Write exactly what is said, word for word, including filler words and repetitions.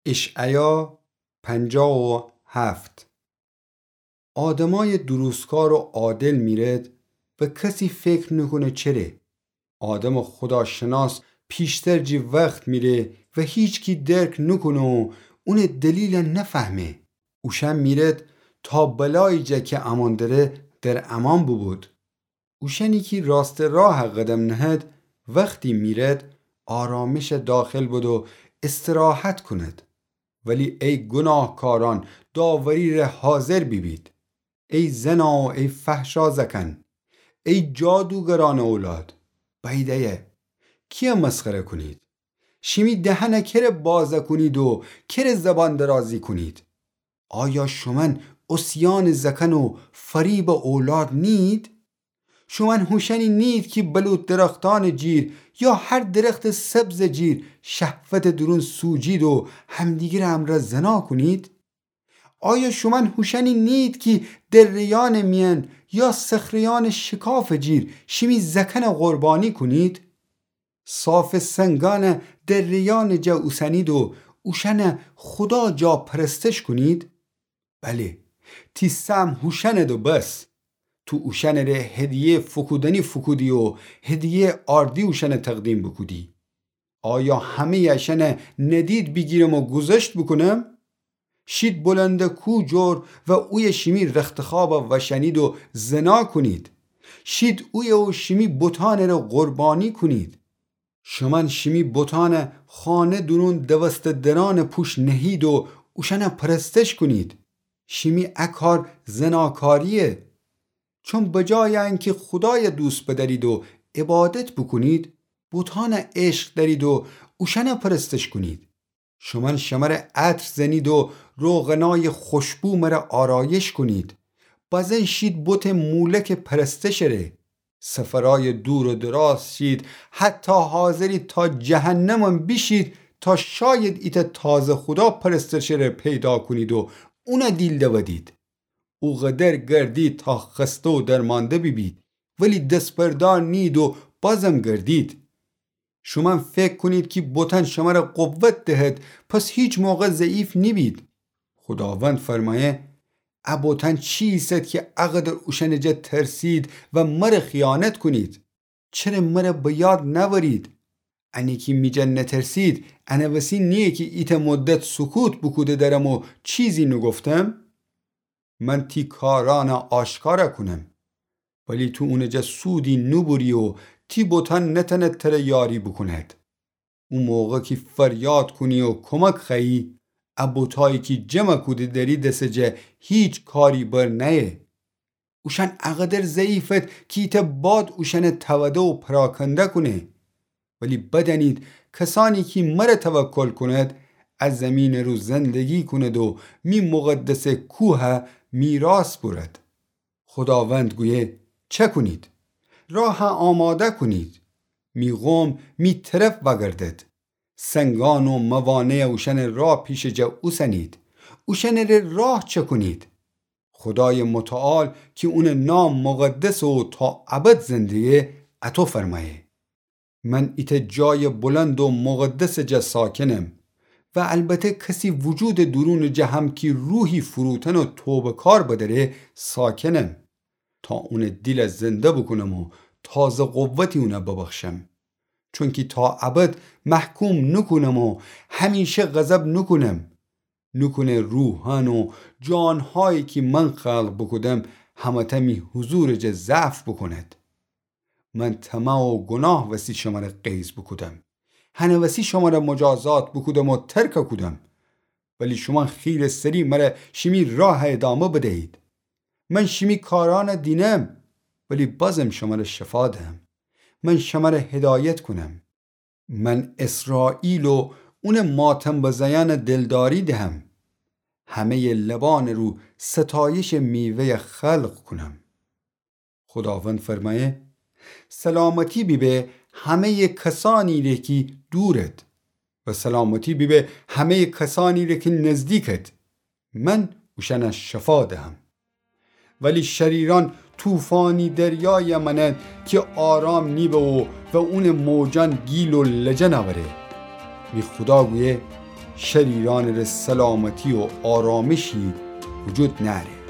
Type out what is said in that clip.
اشعیا پنجاه و هفت. آدمای درستکار و عادل میرد و کسی فکر نوکونه چره. آدم خداشناس پیشتر جی وخت میره و هیچکی درک نوکونه و اونه دلیل نفهمه. اوشأن میرد تا بلایی جا کی امون دره در امان بوبود. اوشأنی کی راست راه قدم نهد، وختی میرد، آرامش داخل بد و استراحت کند. ولی ای گناهکاران، داوری ره حاضر بیبید. ای زنا و ای فحشا زأکأن، ای جادوگرأنٚ اولاد، بأیید ایه کیه مسخره کونید؟ شیمی دهنه کره بازه کونید و کره زبان درازی کونید؟ آیا شومأن عصیانٚ زأکأن و فریبٚ اولاد نیید؟ شومأن هوشأنی نیید کی بلوط درختأنٚ جیر یا هر درختٚ سبزٚ جیر شهوتٚ دورون سوجید و همدیگرٚ امرأ زنا کونید؟ آیا شومأن هوشأنی نیید کی دره‌یأنٚ میأن یا صخره‌یأنٚ شکافٚ جیر شیمی زأکأنه قربانی کونید؟ صافٚ سنگأنه دره‌یأنٚ جا اوسنید و اوشأنه خودا جا پرستش کونید؟ بله، تی سهم هوشأنده و بس. تو اوشأنٚ ره هدیه‌یٚ فوکودنی فوکودی و هدیه‌یٚ آردی اوشأنه تقدیم بوکودی. آیا همه‌یٚ اشأنه ندید بیگیرم و گوذشت بوکونم؟ شید بلندٚ کوه جور و اویه شیمی رختخوابه وشأنید و زنا کونید. شید اویه و شیمی بتأنٚ ره قربانی کونید. شومأن شیمی بتأنه خانه دورون دوسته درأنٚ پوش نهید و اوشأنه پرستش کونید. شیمی ا کار زناکارییه. چون بجایٚ انکی خودایه دوست بدأرید و عبادت بوکونید، بتأنه عشق دأرید و اوشأنه پرستش کونید. شومأن شمره عطر زنید و روغنایٚ خوشبو مره آرایش کونید. بزن شید بتٚ مولکٚ پرستشٚ ره. سفرأیٚ دور و دراز شید، حتی حاضرید تا جهنمم بیشید تا شاید ایتأ تازه خودا پرستشٚ ره پیدا کونید و اونه دیل دودید. او قدر گردید تا خسته و درمانده بیبید، ولی دس‌بردار نیید و بازم گردید. شومأن فکر کونید کی بتأن شمره قوت دهد، پس هیچ موقع ضعیف نیبید. خوداوند فرمأیه: ا بتأن چی ایسد کی ا قدر اوشأنٚ جا ترسید و مره خیانت کونید؟ چره مره به یاد نأورید؟ انه کی می جا نترسید، انه وسی نییه کی ایتأ مدت سکوت بوکوده درم و چیزی نوگفتم؟ من تی کارأنه آشکار کونم، ولی تو اونٚ جا سودی نوبوری و تی بتأن نتأند تره یاری بوکوند. او موقع کی فریاد کونی و کمک خوأیی، ا بتأیی کی جمع کوده دأری دسٚ جا هیچ کاری بر نأیه. اوشأن ا قدر ضعیفد کی ایتأ باد اوشأنه تأوده و پراکنده کونه. ولی بدأنید، کسأنی کی مره توکل کوند، ا زیمینٚ رو زندگی کوند و می مقدسٚ کوه میراث بورد. خوداوند گویه: چأکونید؟ راه آماده کونید. می قوم می طرف وأگردد. سنگأن و موانع اوشأنٚ راه پیشٚ جا اوسنید. اوشأنٚ ره راه چأکونید. خودایٚ متعال کی اونٚ نام مقدسه و تا ابد زنده‌یه، اطو فرمأیه: من ایتأ جایٚ بلند و مقدسٚ جا ساکنم و البته کسی وجودٚ دورونٚ جا هم کی روحی فروتن و توبه‌کار بدأره ساکنم، تا اونٚ دیل زنده بوکونم و تازه قوتی اونه ببخشم. چونکی تا ابد محکوم نوکونم و همیشه غضب نوکونم. نوکونه روحأن و جانهایی کی من خلق بوکودم، همه‌تأ می حضورٚ جا ضعف بوکوند. من طمع و گناه وسی شمره قیض بوکودم. هنه وسی شمره مجازات بوکودم و ترک کودم. ولی شومأن خیلی سری مره شیمی راه ادامه بدهید. من شیمی کارأنه دینم، ولی بازم شمره شفا دهم. من شمره هدایت کونم. من اسرائیل و اونٚ ماتم بزأیأنه دلداری دهم. همه‌یٚ لبأنٚ رو ستایشٚ میوه‌یه خلق کونم. خوداوند فرمأیه: سلامتی بیبه همه‌یٚ کسأنی ره کی دورد و سلامتی بیبه همه‌یٚ کسأنی ره کی نزدیکد. من اوشأنه شفا دهم. ولی شریرأن طوفانی دریایٚ مأنند کی آرام نیبه و، و اونٚ موجأن گیل و لجن أوره. می خودا گویه: شریرأنٚ ره سلامتی و آرامشی وجود نأره.